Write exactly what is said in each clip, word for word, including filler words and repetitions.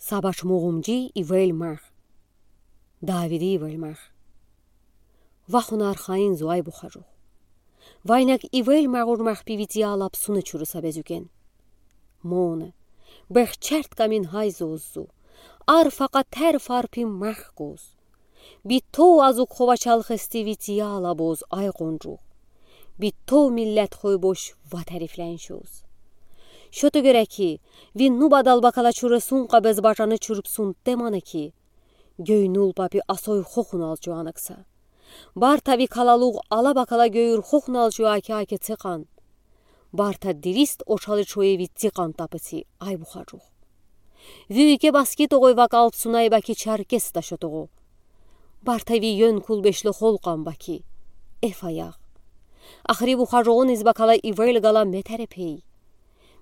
Сабач Мугъумджи ивел магъ. Давиди ивел магъ. Вахунар хаин зу, ай Бухаджух. Вайнаг ивел магъур махпи ви тиа лап суна чурыса безуген. Моне, бехчерт камин гьай зоз зу. Ар факъа тер фарпи магъ гоз. Битто азукхо вачал хести ви тиа лабоз, ай къунджух. Битто миллет хойбош ва тарифлен шоз. Шота гереки, ви нуба далбакала чуры сункъа без бачаны чурпсун теманеки. Гёйнул папи асой хохунал чуанакса. Барта ви калалугъ алабакала гёюр хохунал чуаки аке цекъан. Барта дирист очали чуеви цикъан тапыци, ай Бухаджух. Ви уйке баски тогъой вакалпсунай баки чаркес ташо тогъо. Барта ви ён кулбешло холкъан баки. Эф аях. Ахри Бухаджугъун из бакала ивел гала метерепей.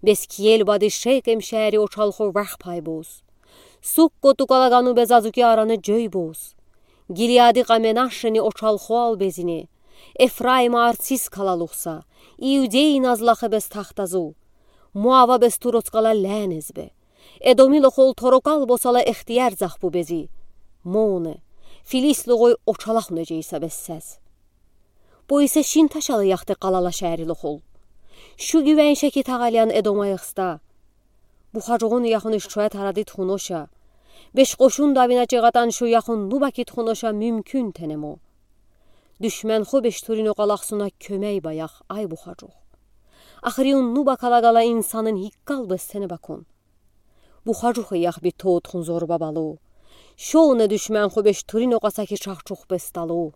Бескиел бади Шекем шери очалхо вах пайбоз. Суккоту калагану безазуки араны джойбоз. Гилиади къаме нашени очалхо ал безине. Эфраима арцис калалухса, Иудей назлахы без тахтазу. Муава без туроцкала лянезбе. Эдоми лохол торокал босала эхтияр захпу бези. Моне, филис лугъой очалахуна джейса бессез. Поисе шин ташала яхте къалала шери лохол. Шу гивеншеки тагъалиян Эдома яхста. Бухаджугъун яхуниш чуэт аради тухуноша. Беш къошун давина чегъатан шу яхун нубаки тухуноша мюмкюн тенемо. Душмен хо беш турин окъалахсуна кёмей баях, ай Бухаджух. Ахриун нуба калагала инсанын гиккал бестене бакун. Бухаджух ях битто тухун зорба балу. Шоуна душмен хо беш турин окъасаки чахчух бесталу.